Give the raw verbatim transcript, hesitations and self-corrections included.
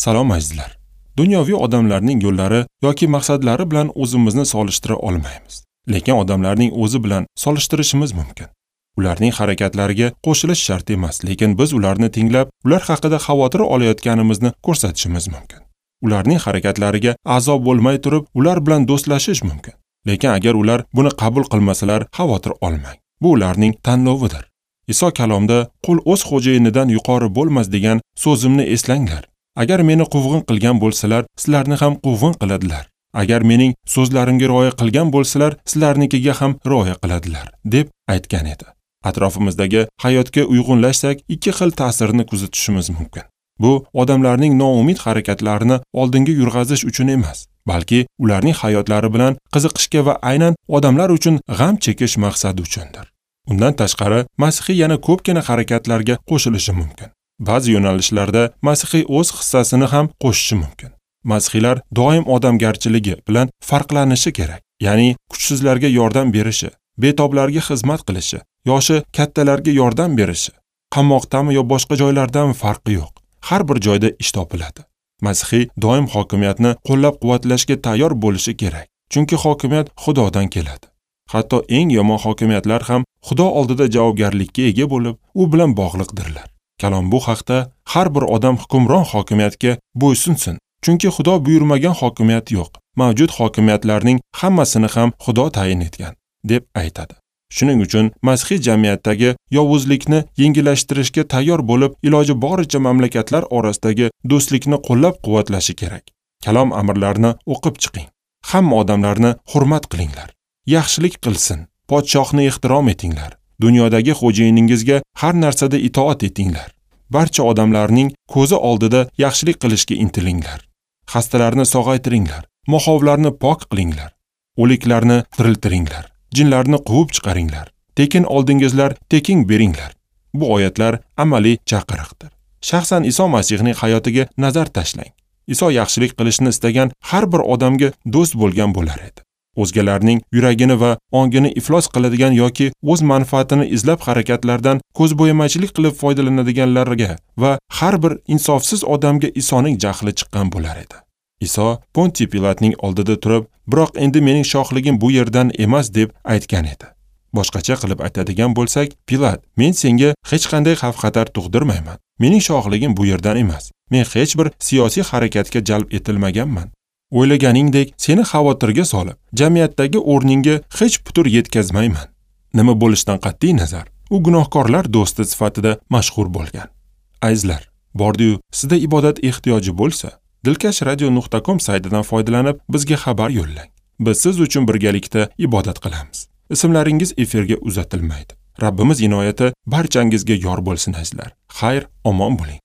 Salom azizlar. Dunyoviy odamlarning yo'llari yoki maqsadlari bilan o'zimizni solishtira olmaymiz. Lekin odamlarning o'zi bilan solishtirishimiz mumkin. Ularning harakatlariga qo'shilish shart emas, lekin biz ularni tinglab, ular haqida xavotir olayotganimizni ko'rsatishimiz mumkin. Ularning harakatlariga a'zo bo'lmay turib, ular bilan do'stlashish mumkin. Lekin agar ular buni qabul qilmasalar, xavotir olmang. Bu ularning tanlovidir. Iso kalomda qul o'z xo'jayinidan yuqori bo'lmas degan so'zimni eslanglar. Agar meni quvg'in qilgan bo'lsalar, sizlarni ham quvg'in qiladilar. Agar mening so'zlarimga rioya qilgan bo'lsalar, sizlarnikiga ham rioya qiladilar, deb aytgan edi. Atrofimizdagi hayotga uyg'unlashsak, ikki xil ta'sirni kuzatishimiz mumkin. Bu odamlarning noumid harakatlarini oldinga yurg'azish uchun emas, balki ularning hayotlari bilan qiziqishga va aynan odamlar uchun g'am chekish maqsadi uchundir. Undan tashqari, masihiy yana ko'pgina harakatlarga qo'shilishi mumkin. Ba'zi yo'nalishlarda masihiy o'z hissasini ham qo'shishi mumkin. Masihiylar doim odamgarchiligi bilan farqlanishi kerak, ya'ni kuchsizlarga yordam berishi, betoblarga xizmat qilishi, yoshi kattalarga yordam berishi, qamoqdami yo boshqa joylardami farqi yo'q. Har bir joyda ish topiladi. Masihiy doim hokimiyatni qo'llab-quvvatlashga tayyor bo'lishi kerak, chunki hokimiyat Xudodan keladi. Hatto eng yomon hokimiyatlar ham Xudo oldida javobgarlikka ega bo'lib, u bilan bog'liqdirlar. Kalom bu haqda har bir odam hukmron hokimiyatga bo'ysunsin, chunki Xudo buyurmagan hokimiyat yo'q. Mavjud hokimiyatlarning hammasini ham Xudo tayin etgan, deb aytadi. Shuning uchun masihiy jamiyatdagi yovuzlikni yengillashtirishga tayyor bo'lib, iloji boricha mamlakatlar orasidagi do'stlikni qo'llab-quvvatlashi kerak. Kalom amrlarini o'qib chiqing. Hamma odamlarni hurmat qilinglar. Yaxshilik qilsin, podshohni ehtirom etinglar. Dunyodagi xo'jayiningizga har narsada itoat etinglar. Barcha odamlarning ko'zi oldida yaxshilik qilishga intilinglar. Xastalarni sog'aytiringlar, mo'xovlarni pok qilinglar, o'liklarni tiriltiringlar, jinlarni quvib chiqaringlar. Tekin oldingizlar, tekin beringlar. Bu oyatlar amaliy chaqiriqdir. Shaxsan Iso Masihning hayotiga nazar tashlang. Iso yaxshilik qilishni istagan har bir odamga do'st bo'lgan bo'lar edi. O'zgalarning yuragini va ongini iflos qiladigan yoki o'z manfaatini izlab harakatlardan ko'zbo'yamachilik qilib foydalanadiganlarga va har bir insofsiz odamga Isoning jahli chiqqan bo'lar edi. Iso Ponti Pilatning oldida turib, biroq endi mening shohligim bu yerdan emas deb aytgan edi. Boshqacha qilib aytadigan bo'lsak, Pilat, men senga hech qanday xavf-xatar tug'dirmayman. Mening shohligim bu yerdan emas. Men hech bir siyosiy harakatga jalb etilmaganman. O'ylaganingdek seni xavotirga solib, jamiyatdagi o'rningga hech putur yetkazmayman. Nima bo'lishidan qat'iy nazar, u gunohkorlar do'sti sifatida mashhur bo'lgan. Azizlar, bordi-yu sizda ibodat ehtiyoji bo'lsa, dilkash radio nuqta com saytidan foydalanib bizga xabar yo'llang. Biz siz uchun birgalikda ibodat qilamiz. Ismlaringiz efirga uzatilmaydi. Rabbimiz inoyati barchangizga yor bo'lsin azizlar. Xayr, omon bo'ling.